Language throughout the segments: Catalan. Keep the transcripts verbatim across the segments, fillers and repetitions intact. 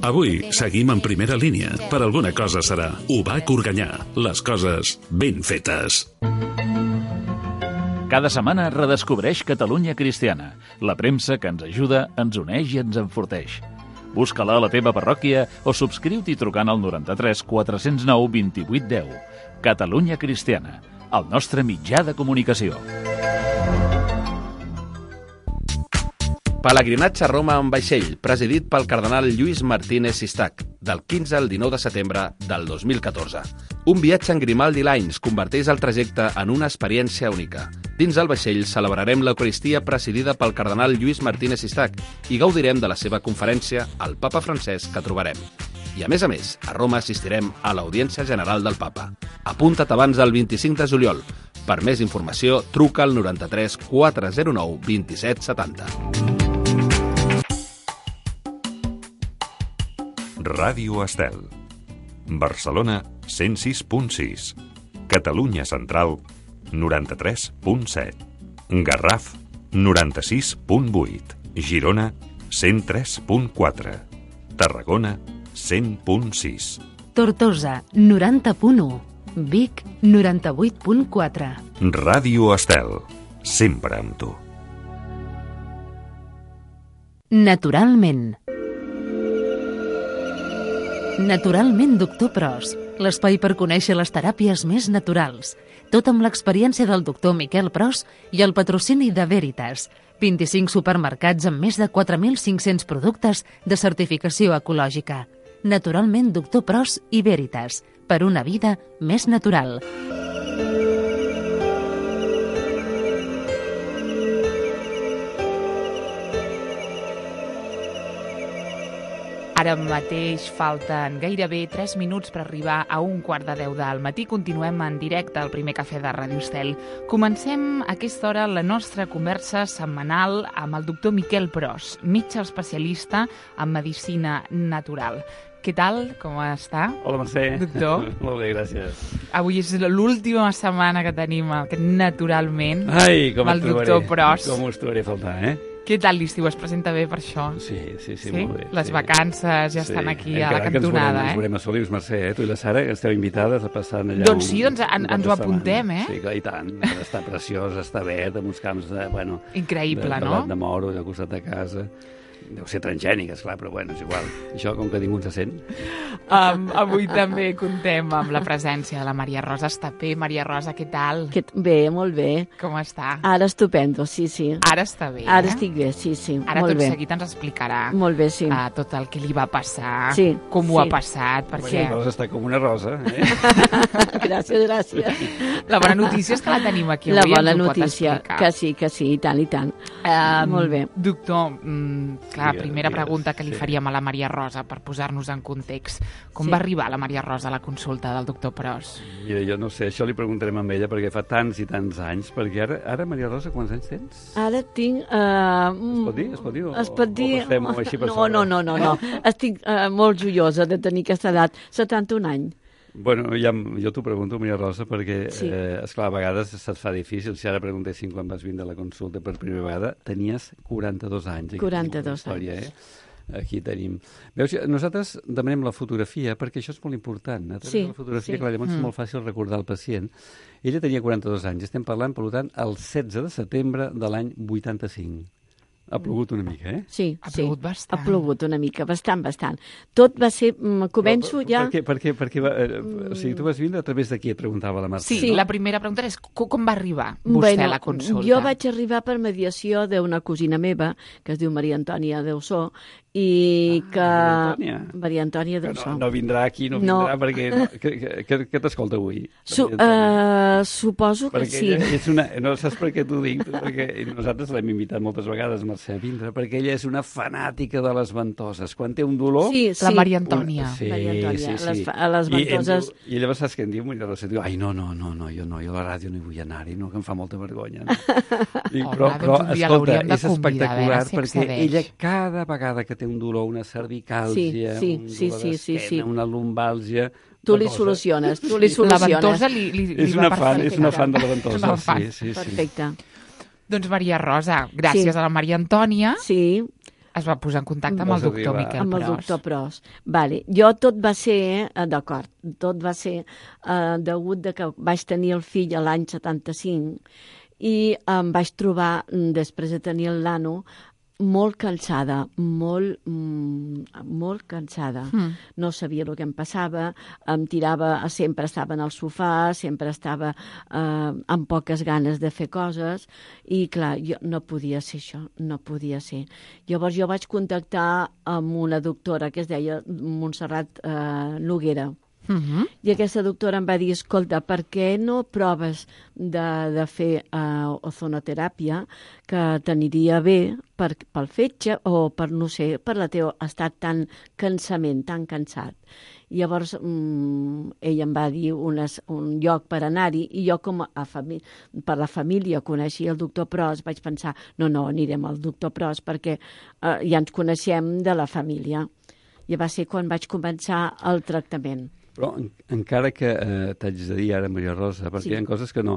Avui seguim en primera línia. Per alguna cosa serà. U B A C Organyà. Les coses ben fetes. Cada setmana redescobreix Catalunya Cristiana, la premsa que ens ajuda, ens uneix i ens enforteix. Busca-la a la teva parròquia o subscriu-t'hi trucant al noranta-tres quatre cents nou vint-i-vuit deu. Catalunya Cristiana, el nostre mitjà de comunicació. Pelegrinatge a Roma en vaixell, presidit pel cardenal Lluís Martínez Sistac, del quinze al dinou de setembre del dos mil catorze. Un viatge en Grimaldi Lines converteix el trajecte en una experiència única. Dins el vaixell celebrarem l'Eucaristia presidida pel cardenal Lluís Martínez Sistac i gaudirem de la seva conferència al Papa francès que trobarem. I a més a més, a Roma assistirem a l'Audiència General del Papa. Apunta't abans del vint-i-cinc de juliol. Per més informació, truca al noranta-tres quatre zero nou vint-i-set setanta. Ràdio Estel. Barcelona, cent sis punt sis. Catalunya Central, noranta-tres punt set. Garraf, noranta-sis punt vuit. Girona, cent tres punt quatre. Tarragona, cent punt sis. Tortosa, noranta punt u. Vic, noranta-vuit punt quatre. Ràdio Estel, sempre amb tu. Naturalment. Naturalment, doctor Pros, l'espai per conèixer les teràpies més naturals. Tot amb l'experiència del doctor Miquel Pros i el patrocini de Veritas. vint-i-cinc supermercats amb més de quatre mil cinc-cents productes de certificació ecològica. Naturalment, doctor Pros i Veritas, per una vida més natural. Ara mateix falten gairebé tres minuts per arribar a un quart de deu del matí. Continuem en directe al primer cafè de Ràdio Estel. Comencem a aquesta hora la nostra conversa setmanal amb el doctor Miquel Pros, metge especialista en medicina natural. Què tal? Com està? Hola, Mercè. Doctor? Molt bé, gràcies. Avui és l'última setmana que tenim aquest naturalment. Ai, com el doctor Pros. Com us trobaré a faltar, eh? Què tal l'estiu? Es presenta bé per això? Sí, sí, sí, sí? molt bé. Les sí. vacances ja sí. estan aquí Encara a la cantonada, que ens veurem, eh? Ens veurem a Solius, Mercè, eh? Tu i la Sara, que esteu invitades a passar allà... Doncs sí, doncs en, ens ho apuntem, eh? Sí, clar, i tant. Està preciós, està verd, amb uns camps de, bueno... Increïble, de, no? De, de moro, al costat de casa. Deu ser transgènic, esclar, però bueno, és igual. Això, com que ningú ens sent. Um, avui també contem amb la presència de la Maria Rosa Estapé. Maria Rosa, què tal? Que, bé, molt bé. Com està? Ara estupendo, sí, sí. Ara està bé, Ara eh? estic bé, sí, sí. Ara molt tot bé. seguit ens explicarà molt bé, sí. uh, tot el que li va passar, sí, com sí. ho ha passat, perquè... La Rosa està com una rosa, eh? Gràcies, gràcies. La bona notícia és que la tenim aquí la avui. La bona notícia, que sí, que sí, i tant, i tant. Um, molt bé. Doctor, mm, clar, digues, primera digues, pregunta que li sí. faríem a la Maria Rosa per posar-nos en context. Com sí. va arribar la Maria Rosa a la consulta del doctor Pros? Mira, jo no sé, això li preguntarem a ella perquè fa tants i tants anys, perquè ara, ara Maria Rosa, quants anys tens? Ara tinc... Uh, es pot dir? Es pot dir? O, es pot dir... O passem-ho així per no, sobre? no, no, no, no. Estic uh, molt joiosa de tenir aquesta edat, setanta-un anys. Bueno, ja, jo t'ho pregunto, Maria Rosa, perquè, sí. eh, esclar, a vegades se't fa difícil. Si ara preguntéssim quan vas vindre a la consulta per primera vegada, tenies quaranta-dos anys. quaranta-dos història, anys. Eh? Aquí tenim... Veus, nosaltres demanem la fotografia perquè això és molt important. A través sí, de la fotografia, sí. clar, llavors mm. és molt fàcil recordar el pacient. Ella tenia quaranta-dos anys. Estem parlant, per tant, el setze de setembre de l'any vuitanta-cinc. Ha plogut una mica, eh? Sí, ha sí. plogut bastant. Ha plogut una mica, bastant, bastant. Tot va ser... Començo però, ja... Per què, per què, per què va, eh, o sigui, tu vas vindre a través de qui et preguntava la Marta? Sí, sí, la primera pregunta és com, com va arribar vostè bueno, a la consulta? Jo vaig arribar per mediació d'una cosina meva, que es diu Maria Antònia Deusó, i que... Ah, Maria Antònia. Maria Antònia Deusó. No, no vindrà aquí, no vindrà, no. perquè... No, què què, què t'escolta avui? Su, uh, suposo que perquè sí. És una, no saps per què t'ho dic? Perquè nosaltres l'hem invitat moltes vegades, Mercè, a vindre, perquè ella és una fanàtica de les ventoses. Quan té un dolor... Sí, sí. La Maria Antònia. Una, sí, Maria Antònia, sí, sí. Les, a les ventoses... I, I llavors saps què em diu? Maria Rosa, diu, ai, no, no, no, no, jo no, jo a la ràdio no hi vull anar-hi, no, que em fa molta vergonya. No? Dic, Home, però, però doncs escolta, és convidar, espectacular si perquè accedeix. ella cada vegada que té un dolor, una cervicàlgia, sí, sí, un sí, dolor sí, sí, d'esquena, sí. una lumbàlgia... Tu li soluciones, tu li soluciones. La ventosa li, li, li és va una fan, perfecte. és una fan de la ventosa, Una fan. sí, sí, sí. Perfecte. Doncs Maria Rosa, gràcies Sí. a la Maria Antònia. Sí. Es va posar en contacte amb el doctor Miquel Pros. Amb el doctor Pros. Vale. Jo tot va ser, eh, d'acord, tot va ser eh, degut de que vaig tenir el fill a l'any setanta-cinc i em vaig trobar, després de tenir el nano, molt cansada, molt, mm, molt cansada. Mm. No sabia el que em passava, em tirava, sempre estava en el sofà, sempre estava eh, amb poques ganes de fer coses i, clar, jo no podia ser això, no podia ser. Llavors jo vaig contactar amb una doctora que es deia Montserrat eh, Noguera. Uh-huh. I aquesta doctora em va dir, escolta, per què no proves de, de fer uh, ozonoteràpia, que t'aniria bé per, pel fetge o per, no sé, per la teva estat tan cansament, tan cansat. I llavors um, ell em va dir unes, un lloc per anar-hi i jo com a famí- per la família coneixia el doctor Pros, vaig pensar, no, no, anirem al doctor Pros perquè uh, ja ens coneixem de la família. I va ser quan vaig començar el tractament. Però en, encara que eh, t'haig de dir ara, Maria Rosa, perquè Sí. hi ha coses que no,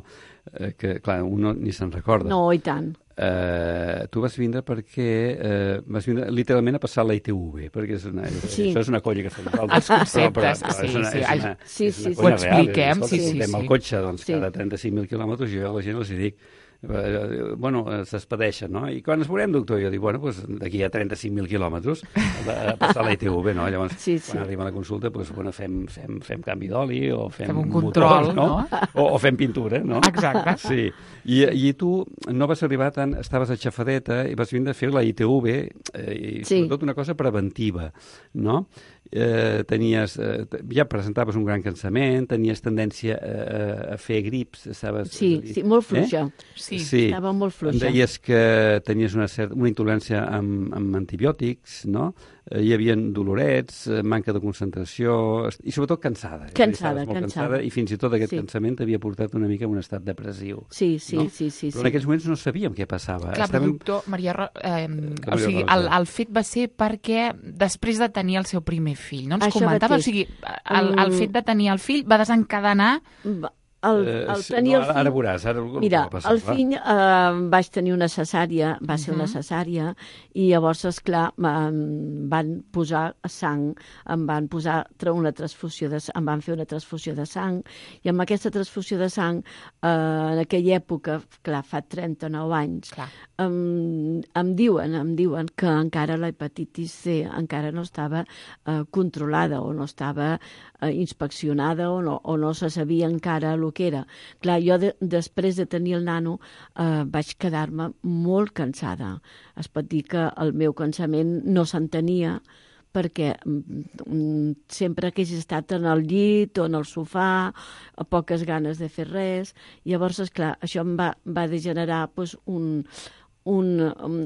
eh, que clar, un no, ni se'n recorda. No, i tant. Eh, tu vas vindre perquè eh, vas vindre literalment a passar la I T V, perquè és una, Sí. això és una colla que fem nosaltres. Els conceptes, però, però, sí, és una, sí. És una, Sí, és una sí, sí. colla Ho expliquem, real. sí, sí, Escolta, sí. el cotxe, doncs, Sí. cada trenta-cinc mil quilòmetres, jo a la gent els hi dic, eh, bueno, eh, s'espedeixen, no? I quan es veurem, doctor? Jo dic, bueno, doncs d'aquí a trenta-cinc mil quilòmetres a passar la I T V, no? Llavors, Sí, sí. quan arriba la consulta, doncs, bueno, fem, fem, fem canvi d'oli o fem, Fem un control, motors, no? O, o fem pintura, no? Exacte. Sí. I, I tu no vas arribar tant, estaves a Xafadeta i vas vindre a fer la I T V eh, i Sí. sobretot una cosa preventiva, no? Eh, tenies, eh, ja presentaves un gran cansament, tenies tendència a, a fer grips, estaves... Sí, sí, molt fluixa. Sí. Sí. Estava molt Em fluixa. deies que tenies una, certa, una intolerància amb, amb antibiòtics, no? Eh, hi havia dolorets, eh, manca de concentració i sobretot cansada. Cansada, Estaves molt cansada. I fins i tot aquest Sí. cansament t'havia portat una mica a un estat depressiu. Sí, sí, no? sí, sí. Però sí. en aquells moments no sabíem què passava. Clar, però, Estàvem- doctor, Maria Ro... eh, Maria o sigui, Rosa. el, el fet va ser perquè després de tenir el seu primer fill, no ens Això comentava, o mateix. sigui, el, el Mm. fet de tenir el fill va desencadenar... Va- El, Eh, el sí, tenir no, el ara, fill... ara veuràs, ara el Mira, que va passar, el va. fill eh, vaig tenir una cesària, va ser una Mhm. cesària, i llavors, esclar, em van posar sang, em van posar tra- una transfusió de sang, em van fer una transfusió de sang, i amb aquesta transfusió de sang, eh, en aquella època, clar, fa trenta-nou anys, Clar. em, em diuen, em diuen que encara la hepatitis C encara no estava eh, controlada o no estava eh, inspeccionada o no, o no se sabia encara el que era. Clar, jo de, després de tenir el nano eh, vaig quedar-me molt cansada. Es pot dir que el meu cansament no s'entenia perquè mm, sempre que he estat en el llit o en el sofà, a poques ganes de fer res. Llavors, esclar, això em va, va degenerar pues, un, un,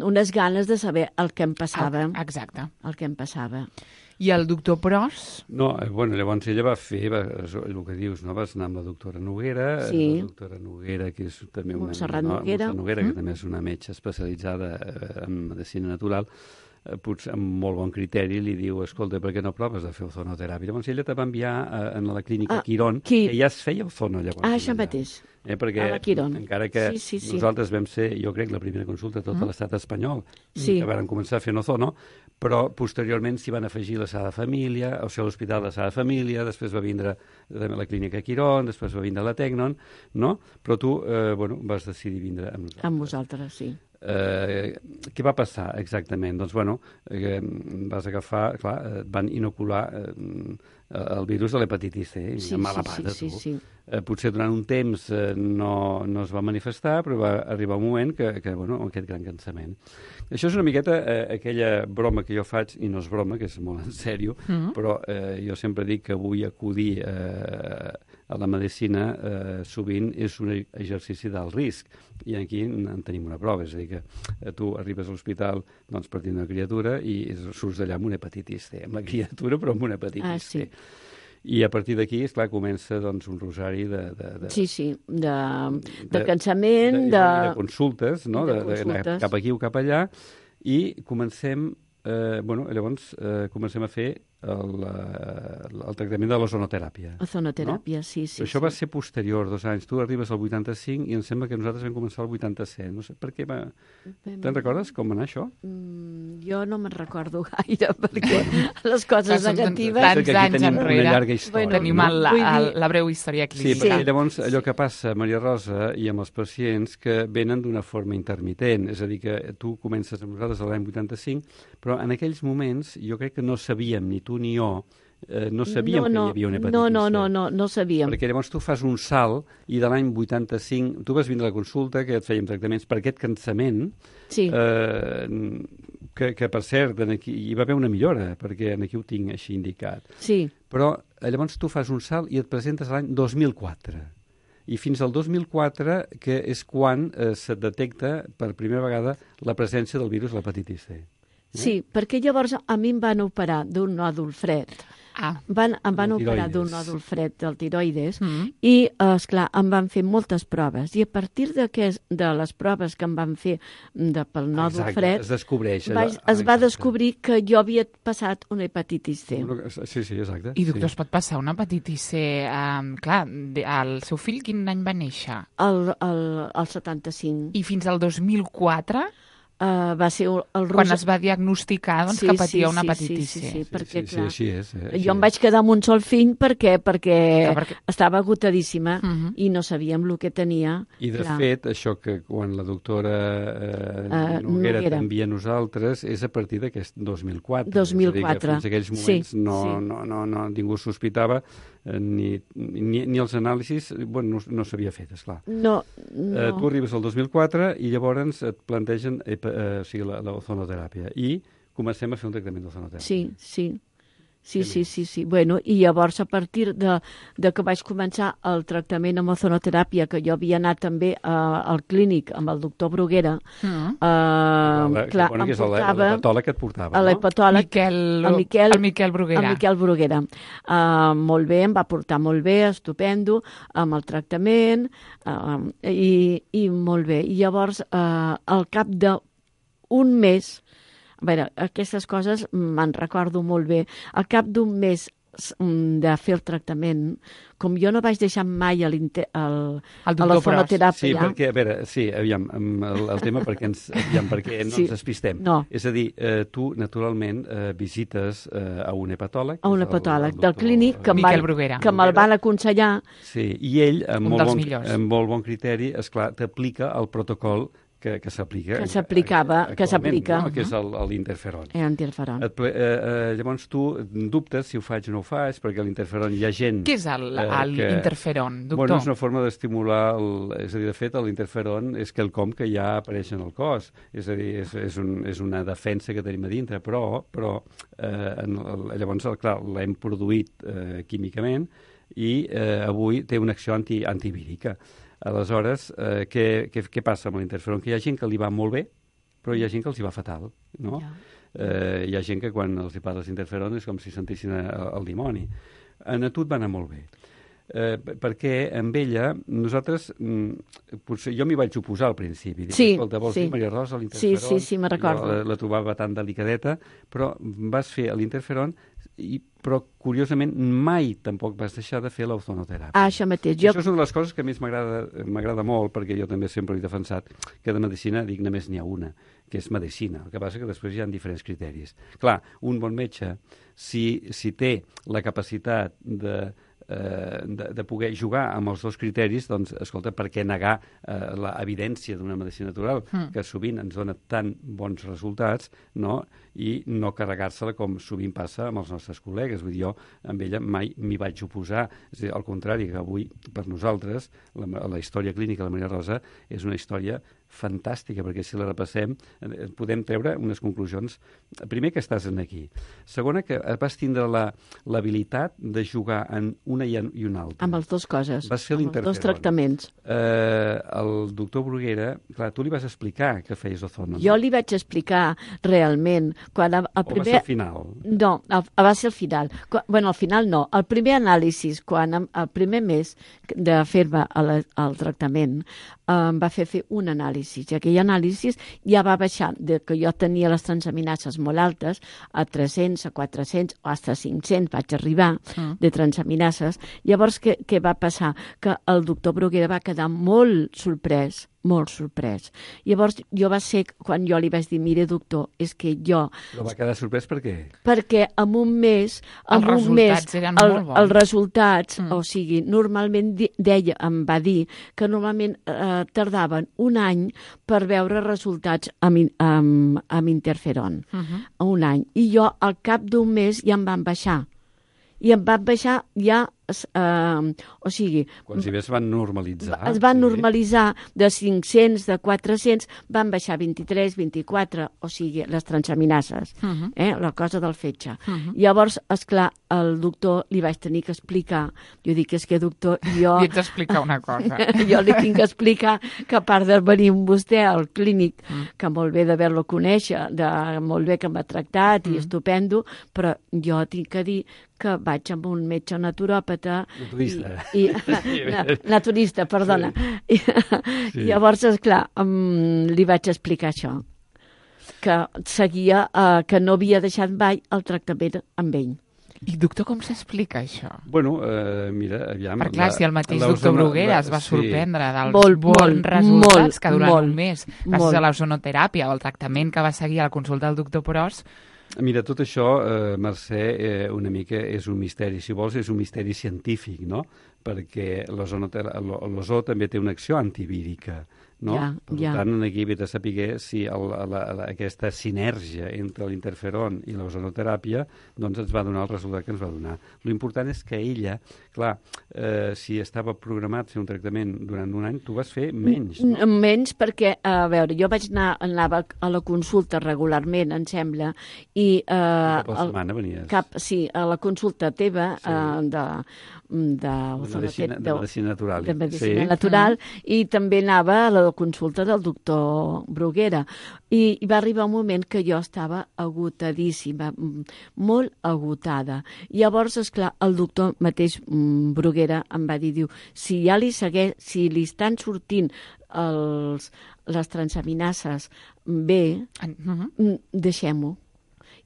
unes ganes de saber el que em passava. Ah, exacte. El que em passava. I el doctor Pros? No, eh, bueno, llavors ella va fer, va, el que dius, no? Vas anar amb la doctora Noguera, Sí. la doctora Noguera, que és també una... Montserrat no, Noguera. Montserrat Noguera, Mm. que també és una metge especialitzada eh, en medicina natural, eh, potser amb molt bon criteri li diu, escolta, per què no proves de fer ozonoteràpia? Llavors ella te va enviar a, a la clínica Ah, Quirón, qui- que ja es feia ozono llavors. Ah, això allà. mateix. Eh, perquè A la Quirón. encara que Sí, sí, sí. nosaltres vam ser, jo crec, la primera consulta a tot Mm. l'estat espanyol, Sí. que van començar fent ozono, però posteriorment s'hi van afegir la Sagrada Família, o sigui, l'Hospital de Sagrada Família, després va vindre també la Clínica Quirón, després va vindre la Tecnon, no? Però tu, eh, bueno, vas decidir vindre amb nosaltres. Amb vosaltres, sí. Eh, què va passar exactament? Doncs, bueno, eh, vas agafar, clar, eh, et van inocular eh, el virus de l'hepatitis C, Sí, amb mala sí, pata, sí, tu. sí, sí. Eh, potser durant un temps eh, no, no es va manifestar, però va arribar un moment que, que bueno, amb aquest gran cansament. Això és una miqueta eh, aquella broma que jo faig, i no és broma, que és molt en sèrio, Mhm. però eh, jo sempre dic que vull acudir eh, a la medicina eh, sovint és un exercici del risc, i aquí en tenim una prova, és a dir, que eh, tu arribes a l'hospital doncs, per tenir una criatura i surts d'allà amb una hepatitis C, amb la criatura però amb una hepatitis Ah, sí. C. I a partir d'aquí, esclar, comença doncs, un rosari de, de, de, Sí, sí, de, de de- cansament, de, de... de consultes, no? de de, de, consultes. cap aquí o cap allà, i comencem eh, bueno, llavors eh, comencem a fer el, el, el tractament de l'ozonoteràpia. Ozonoteràpia, no? sí, sí. Però això sí. va ser posterior, dos anys. Tu arribes al vuitanta-cinc i em sembla que nosaltres vam començar al vuitanta-set. No sé per què va... Te'n recordes com va anar això? Mm, jo no me'n recordo gaire, perquè les coses Són negatives... tants anys tenim enrere. una llarga història. Bueno, Tenim no? el, la, Vull dir- el, la breu història Sí, clínica. perquè llavors allò que passa, Maria Rosa, i amb els pacients que venen d'una forma intermitent, és a dir, que tu comences amb nosaltres l'any vuitanta-cinc, però en aquells moments jo crec que no sabíem, ni tu ni jo, eh, no sabíem no, no, que hi havia una hepatitis no, no, C. no, no, no sabíem. Perquè llavors tu fas un salt i de l'any vuitanta-cinc, tu vas vindre a la consulta, que et fèiem tractaments per aquest cansament, Sí. eh, que, que per cert aquí, hi va haver una millora, perquè aquí ho tinc així indicat. Sí, Però eh, llavors tu fas un salt i et presentes l'any dos mil quatre. I fins al dos mil quatre, que és quan eh, se detecta per primera vegada la presència del virus l'hepatitis C. sí, perquè llavors a mi em van operar d'un nòdul fred. Ah, Van, em van El operar tiroides. d'un nòdul fred del tiroides mm. i, eh, esclar, em van fer moltes proves. I a partir de, que, de les proves que em van fer de, pel nòdul Exacte, fred, es descobreix. vaig, allò- es va exacte. descobrir que jo havia passat una hepatitis C. Sí, sí, exacte. I doctor, sí. es pot passar una hepatitis C? Um, clar, de- el seu fill quin any va néixer? El, el, el setanta-cinc. I fins al dos mil quatre, Uh, va ser el, el quan Rosa... es va diagnosticar doncs, Sí, que patia sí, una sí, hepatitis sí, sí, C. sí, perquè, sí, sí, clar, així és. Eh? Així jo em és. vaig quedar amb un sol fill perquè, perquè, Clar, perquè- estava agotadíssima Mhm. i no sabíem el que tenia. I, de clar. fet, això que quan la doctora eh, Eh, Noguera Noguera. t'envia a nosaltres és a partir d'aquest dos mil quatre. dos mil quatre. És a dir, que fins a aquells moments Sí, no, sí. no, no, no, ningú sospitava eh, ni, ni, ni els anàlisis, bueno, no, no s'havia fet, esclar. No, No. Eh, no. tu arribes al dos mil quatre i llavors et plantegen eh, eh, o sigui, la, la ozonoteràpia i comencem a fer un tractament d'ozonoteràpia. Sí, sí. Sí, sí, sí, sí. Bueno, i llavors, a partir de, de que vaig començar el tractament amb ozonoteràpia, que jo havia anat també uh, al clínic amb el doctor Bruguera, Mm. uh, La, clar, bueno, em que és el- portava l'hepatòleg que et portava, a no? l'hepatòleg, Miquel, el Miquel, el Miquel Bruguera. El Miquel Bruguera. Uh, molt bé, em va portar molt bé, estupendo, amb el tractament, uh, i, i molt bé. I llavors, uh, al cap d'un mes, a veure, aquestes coses me'n recordo molt bé, al cap d'un mes s- mm, de fer el tractament, com jo no vaig deixar mai a l'inter- al- El a doctor la Pros. fonoteràpia, Sí, perquè, a veure, sí, aviam, amb el, el tema perquè ens, aviam, perquè no Sí. ens despistem. No. És a dir, eh, tu, naturalment, eh, visites eh, a un hepatòleg. a un que és el- hepatòleg el del doctor, clínic que, eh, em Miquel van, Bruguera. que me'l van aconsellar. Sí, i ell, amb, Un molt dels bon, millors. amb molt bon criteri, esclar, t'aplica el protocol que, que s'aplica. Que s'aplicava, que actualment, s'aplica. No? Que és el- el- l'interferon. Eh, interferon. Et ple, eh, eh, llavors tu dubtes si ho faig o no ho faig, perquè l'interferon hi ha gent... Què és el- eh, el que- interferon, doctor? Bueno, és una forma d'estimular, el, és a dir, de fet, l'interferon és quelcom que ja apareix en el cos, és a dir, és, és, un, és una defensa que tenim a dintre, però, però eh, en el, llavors, el, clar, l'hem produït eh, químicament i eh, avui té una acció anti, antivírica. Aleshores, eh, què, què, què passa amb l'interferon? Que hi ha gent que li va molt bé, però hi ha gent que els hi va fatal, no? Ja. Eh, hi ha gent que quan els hi parles d'interferon és com si sentissin el, el dimoni. En a tu et va anar molt bé. Eh, perquè amb ella, nosaltres, mm, potser jo m'hi vaig oposar al principi. Dic, Sí, escolta, vols sí. dir Maria Rosa, Sí, l'interferon? sí, sí, me'n recordo. Jo La, la trobava tan delicadeta, però vas fer l'interferon, i, però curiosament mai tampoc vas deixar de fer l'ozonoteràpia. Ah, això mateix. Jo... Jo, Això és una de les coses que més m'agrada m'agrada molt, perquè jo també sempre he defensat que de medicina, dic, només n'hi ha una, que és medicina. El que passa que després hi ha diferents criteris. Clar, un bon metge, si, si té la capacitat de, eh, de, de poder jugar amb els dos criteris, doncs, escolta, per què negar eh, l'evidència d'una medicina natural, Mm. que sovint ens dona tan bons resultats, no?, i no carregar-se-la com sovint passa amb els nostres col·legues. Vull dir, jo amb ella mai m'hi vaig oposar. És a dir, al contrari, que avui, per nosaltres, la, la història clínica de la Maria Rosa és una història fantàstica, perquè si la repassem eh, podem treure unes conclusions. Primer, que estàs en aquí. Segona, que vas tindre la- l'habilitat de jugar en una i, en, i una altra. amb les dues coses, Vas fer amb els l'interferon. dos tractaments. Eh, el doctor Bruguera, clar, tu li vas explicar que feies ozono. Jo li vaig explicar realment, quan el, el O va ser primer... al final? No, el, va ser al final. Quan, bueno, al final no. El primer anàlisi, quan em- el primer mes de fer-me el, el tractament, em va fer fer un anàlisi anàlisis. I aquell anàlisis ja va baixar, de que jo tenia les transaminases molt altes, a tres-cents, a quatre-cents, o fins a cinc-cents vaig arribar mm. de transaminases. Llavors, què, què va passar? Que el doctor Bruguera va quedar molt sorprès, molt sorprès. Llavors, jo va ser quan jo li vaig dir, mire, doctor, és que jo... Però va quedar sorprès per què? Perquè en un mes... En els un resultats mes, eren el, molt bons. Els resultats, mm. o sigui, normalment di, deia, em va dir que normalment eh, tardaven un any per veure resultats amb, amb, amb interferon. Uh -huh. Un any. I jo, al cap d'un mes, ja em van baixar. I em van baixar ja... Uh, o sigui... Quan si bé es van normalitzar. Es van sí. normalitzar de cinc-cents, de quatre-cents, van baixar vint-i-tres, vint-i-quatre, o sigui, les transaminases, uh -huh. eh, la cosa del fetge. Uh -huh. Llavors, esclar, el doctor li vaig tenir que explicar, jo dic, és que doctor, jo... Li ets explicar una cosa. Jo li tinc que explicar que a part de venir amb vostè al clínic, mm. que molt bé d'haver-lo conèixer, de molt bé que m'ha tractat mm. i estupendo, però jo tinc que dir que vaig amb un metge naturòpata... Naturista. I, i, na, naturista, perdona. Sí. I, sí. Llavors, esclar, um, li vaig explicar això, que seguia, uh, que no havia deixat mai el tractament amb ell. I, doctor, com s'explica això? Bueno, eh, mira, aviam... Per clar, la, si el mateix doctor Bruguera es va sí. sorprendre dels molt, bons molt, resultats molt, que durant molt, un mes, gràcies molt. a l'ozonoteràpia o el tractament que va seguir a la consulta del doctor Pros. Mira, tot això, eh, Mercè, eh, una mica és un misteri. Si vols, és un misteri científic, no? Perquè l'ozó també té una acció antivírica, no? Ja, per ja. tant, aquí ve de saber si el, la, la, aquesta sinergia entre l'interferon i l'ozonoteràpia doncs ens va donar el resultat que ens va donar. L'important és que ella, clar, eh, si estava programat fer un tractament durant un any, tu vas fer menys, no? Menys perquè, a veure, jo vaig anar anava a la consulta regularment, em sembla, i... Eh, cap a la setmana venies. Cap, sí, a la consulta teva sí. eh, de... de, de, medicina, de medicina natural. De medicina sí. natural, mm. i també anava a la consulta del doctor Bruguera. I, i va arribar un moment que jo estava agotadíssima, molt agotada. Llavors, esclar, el doctor mateix Bruguera em va dir, diu, si ja li segueix, si li estan sortint els, les transaminases bé, uh-huh. deixem-ho.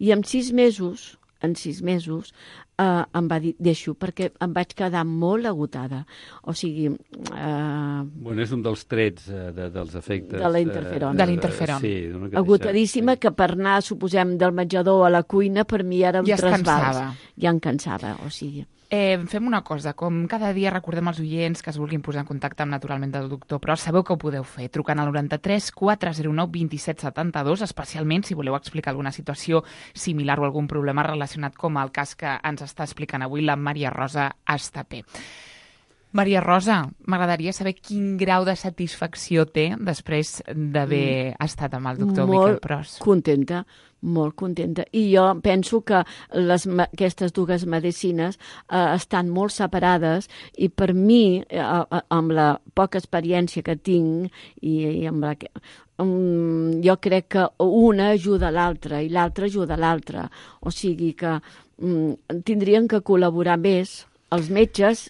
I en sis mesos, en sis mesos, Uh, em va dir, deixo, perquè em vaig quedar molt agotada. O sigui... Uh, bueno, és un dels trets uh, de, dels efectes... De l'interferon. Uh, de l'interferon. Sí, agotadíssima, sí. que per anar, suposem, del menjador a la cuina, per mi era un ja trasbals. cansava. Ja em cansava, o sigui... Eh, fem una cosa, com cada dia recordem als oients que es vulguin posar en contacte amb Naturalment del Doctor, però sabeu que ho podeu fer trucant al noranta-tres quatre zero nou vint set setanta-dos, especialment si voleu explicar alguna situació similar o algun problema relacionat com el cas que ens està explicant avui la Maria Rosa Estapé. Maria Rosa, m'agradaria saber quin grau de satisfacció té després d'haver mm. estat amb el doctor molt Miquel Pros. Molt contenta, molt contenta. I jo penso que les, aquestes dues medicines eh, estan molt separades i per mi, eh, amb la poca experiència que tinc, i, i amb la que, um, jo crec que una ajuda a l'altra i l'altra ajuda a l'altra. O sigui que um, tindrien que col·laborar més els metges,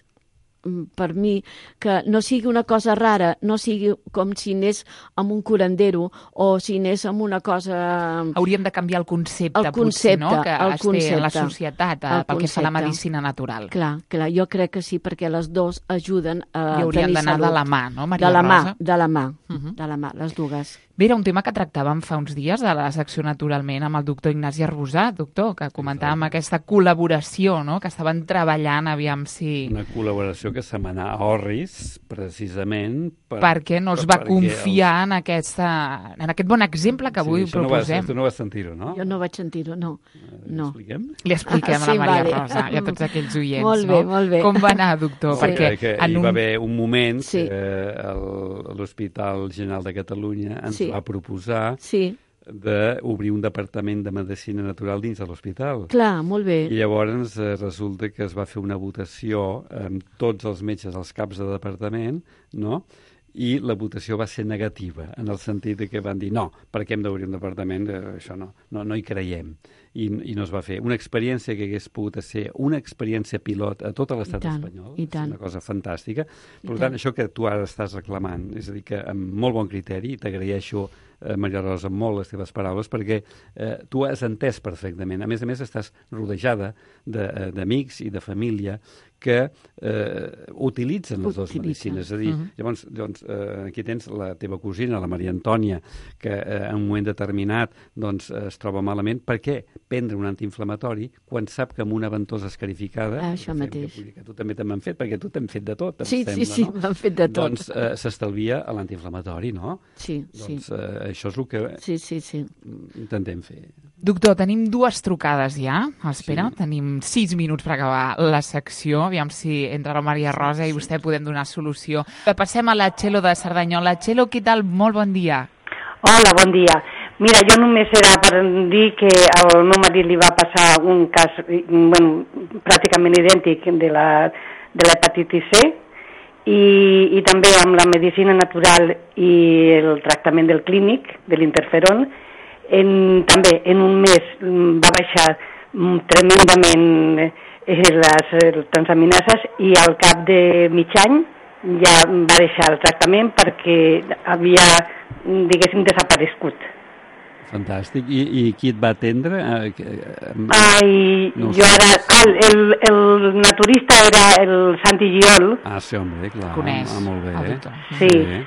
per mi, que no sigui una cosa rara, no sigui com si anés amb un curandero o si anés amb una cosa... Hauríem de canviar el concepte, el concepte potser, no? Que el es concepte, té en la societat pel concepte. que fa la medicina natural. Clar, clar, jo crec que sí, perquè les dues ajuden a I haurien d'anar de la mà, no, Maria de la Rosa? Mà, de la mà, uh -huh. de la mà, les dues. Bé, era un tema que tractàvem fa uns dies a la secció Naturalment amb el doctor Ignasi Arbusà, doctor, que comentàvem sí, aquesta col·laboració, no?, que estaven treballant, aviam si... Una col·laboració que setmanà a Orris, precisament... Per, perquè no es va confiar els... en, aquesta, en aquest bon exemple que avui sí, proposem. No vas, tu no vas sentir-ho, no? Jo no vaig sentir-ho, no. no. L'expliquem? Li expliquem ah, a la sí, Maria vale. Rosa i a tots aquells oients, molt bé, no? Molt bé, Com va anar, doctor? Sí. Perquè que en hi un... va haver un moment sí. que l'Hospital General de Catalunya ens sí. va proposar sí. d'obrir un departament de medicina natural dins de l'hospital. Clar, molt bé. I llavors eh, resulta que es va fer una votació amb tots els metges als caps de departament, no?, i la votació va ser negativa, en el sentit de que van dir no, per què hem d'obrir un departament? Eh, això no, no, no hi creiem. I, I no es va fer. Una experiència que hagués pogut ser una experiència pilot a tot l'estat espanyol, és una cosa fantàstica. Per tant, això que tu ara estàs reclamant, és a dir, que amb molt bon criteri, t'agraeixo, eh, Maria Rosa, molt les teves paraules, perquè eh, tu has entès perfectament. A més a més, estàs rodejada d'amics i de família que eh, utilitzen les dues medicines. És a dir, uh -huh. llavors, llavors eh, aquí tens la teva cosina, la Maria Antònia, que eh, en un moment determinat doncs, eh, es troba malament. Per què prendre un antiinflamatori quan sap que amb una ventosa escarificada, ah, això mateix. Que, que tu també te m'han fet, perquè tu t'hem fet de tot, em sí, sembla, sí, sí, no? m'han fet de tot. Doncs eh, s'estalvia l'antiinflamatori, no? Sí, doncs, sí. Eh, això és el que sí, sí, sí. intentem fer. Doctor, tenim dues trucades ja. Espera, sí. Tenim sis minuts per acabar la secció. Aviam si entre la Maria Rosa i vostè podem donar solució. Passem a la Txelo de Cerdanyola. Txelo, què tal? Molt bon dia. Hola, bon dia. Mira, jo només era per dir que al meu marit li va passar un cas bueno, pràcticament idèntic de la, de l'hepatitis C i, i també amb la medicina natural i el tractament del clínic, de l'interferon. En, també en un mes va baixar tremendament eh, les, les transaminases i al cap de mig any ja va deixar el tractament perquè havia, diguéssim, desaparegut. Fantàstic. I, i qui et va atendre? Ai, no jo era... El, el, el naturista era el Santi Giol. Ah, sí, home, clar. Coneix. Ah, molt bé. Sí. Bé.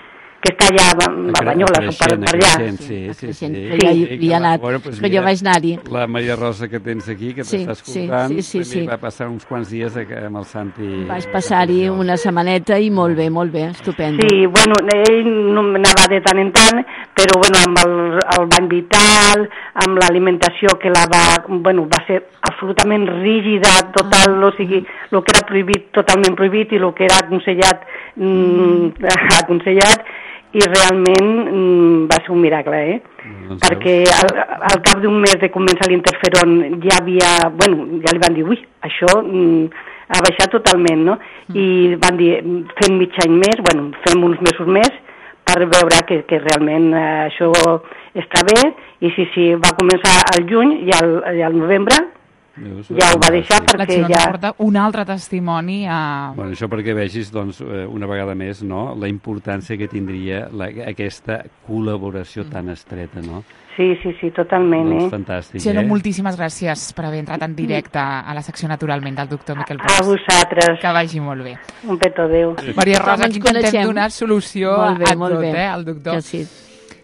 Que està allà a Banyoles, per, per allà. Sí, sí, sí. sí. Però jo hi he anat, bueno, pues, però jo vaig anar-hi. La Maria Rosa que tens aquí, que sí, t'està escoltant, sí, sí, sí, sí. va passar uns quants dies amb el Santi. Vaig passar-hi una setmaneta i molt bé, molt bé, estupendo. Sí, bueno, ell no anava de tant en tant, però bueno, amb el, el bany vital, amb l'alimentació que la va, bueno, va ser absolutament rígida, total, ah. o sigui, el que era prohibit, totalment prohibit, i el que era aconsellat, mm, aconsellat, i realment mm, va ser un miracle, eh? No perquè al, al cap d'un mes de començar l'interferon ja havia, bueno, ja li van dir, ui, això mm, ha baixat totalment, no? Mm. I van dir, fem mig any més, bueno, fem uns mesos més, per veure que, que realment eh, això està bé, i sí, sí, va començar al juny i al, i al novembre, ja ho va deixar perquè la ja... porta un altre testimoni a... Bueno, això perquè vegis, doncs, una vegada més, no?, la importància que tindria la, aquesta col·laboració mm. tan estreta, no? Sí, sí, sí, totalment, doncs, eh? Fantàstic, Txelo, eh? moltíssimes gràcies per haver entrat en directe a la secció Naturalment del doctor Miquel Pros. A vosaltres. Que vagi molt bé. Un petó, adéu. Maria Rosa, aquí intentem donar solució molt bé, a molt tot, bé. eh, al doctor. Que sí.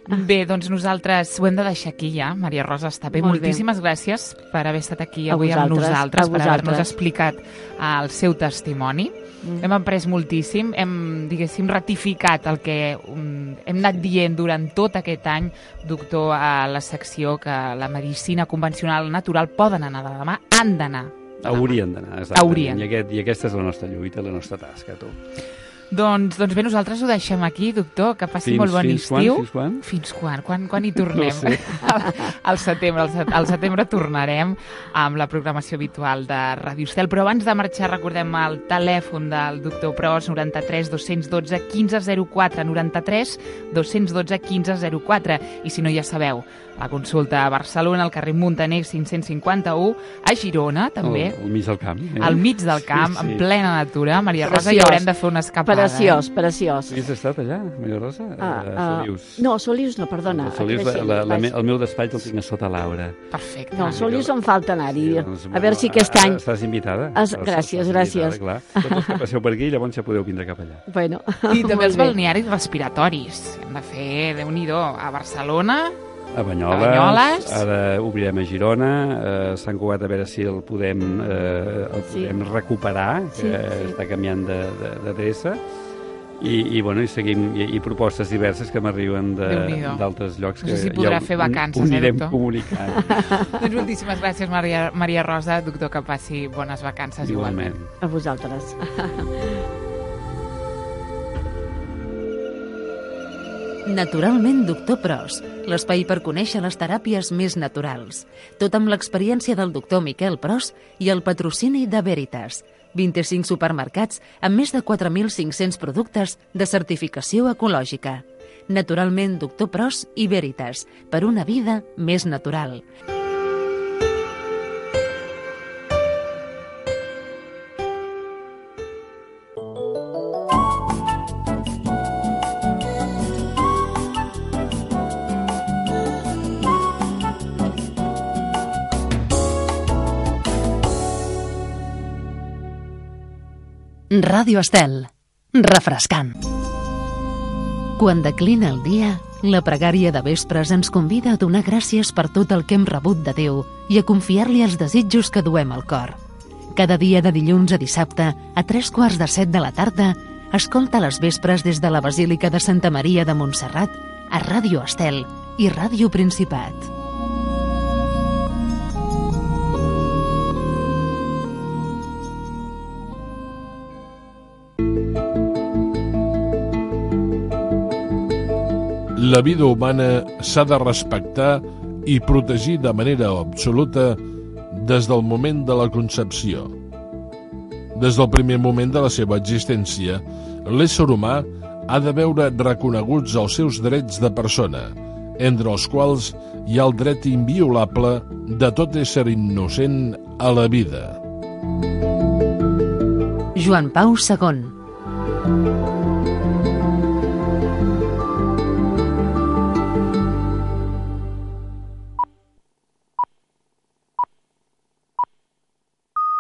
Bé, doncs nosaltres ho hem de deixar aquí ja. Maria Rosa, està bé. Molt Moltíssimes bé. gràcies per haver estat aquí a avui amb nosaltres, per haver-nos vosaltres. explicat el seu testimoni. Mm. Hem après moltíssim, hem, diguéssim, ratificat el que um, hem anat dient durant tot aquest any, doctor, a la secció que la medicina convencional natural poden anar de demà, han d'anar. Haurien d'anar, Haurien. I, aquest, I aquesta és la nostra lluita, la nostra tasca, tu. Doncs, doncs bé, nosaltres ho deixem aquí, doctor, que passi fins, molt bon fins estiu. Quan, fins quan? Fins quan? Quan, quan hi tornem? No sé. al, al setembre. Al, al setembre tornarem amb la programació habitual de Ràdio Estel. Però abans de marxar recordem el telèfon del doctor Pros, noranta-tres dos dotze quinze zero quatre, noranta-tres dos dotze quinze zero quatre. I si no, ja sabeu, la consulta a Barcelona, al carrer Muntaner cinc-cents cinquanta-u, a Girona, també. Al, al mig del camp. Eh? Al mig del camp, sí, sí. En plena natura. Maria Rosa, Preciós. hi haurem de fer una escapada. Preciós, preciós. Has estat allà, Maria Rosa? Ah, a Solius. Uh, no, Solius no, perdona. Solius, la, la, la, el meu despatx el tinc a sota Laura. Perfecte. No, Solius em falta anar-hi. Sí, doncs, a veure si aquest any... Estàs invitada. Es... Gràcies, estàs gràcies. Invitada, clar. Tots els que passeu per aquí, llavors ja podeu vindre cap allà. Bueno, I també els bé. balnearis respiratoris. Hem de fer, Déu-n'hi-do, a Barcelona, a Banyoles, a Banyoles. Ara obrirem a Girona, a Sant Cugat, a veure si el podem, eh, el podem sí. recuperar, que sí, sí. està canviant d'adreça. I, i, bueno, i seguim, i, i propostes diverses que m'arriben d'altres llocs que no sé si podrà ja fer vacances, anirem eh, comunicant. Doncs moltíssimes gràcies, Maria, Maria Rosa. Doctor, que passi bones vacances igualment. igualment. A vosaltres. Naturalment, doctor Pros, l'espai per conèixer les teràpies més naturals. Tot amb l'experiència del doctor Miquel Pros i el patrocini de Veritas. vint-i-cinc supermercats amb més de quatre mil cinc-cents productes de certificació ecològica. Naturalment, doctor Pros i Veritas, per una vida més natural. Ràdio Estel. Refrescant. Quan declina el dia, la pregària de vespres ens convida a donar gràcies per tot el que hem rebut de Déu i a confiar-li els desitjos que duem al cor. Cada dia de dilluns a dissabte, a tres quarts de set de la tarda, escolta les vespres des de la Basílica de Santa Maria de Montserrat a Ràdio Estel i Ràdio Principat. La vida humana s'ha de respectar i protegir de manera absoluta des del moment de la concepció. Des del primer moment de la seva existència, l'ésser humà ha de veure reconeguts els seus drets de persona, entre els quals hi ha el dret inviolable de tot ésser innocent a la vida. Joan Pau segon.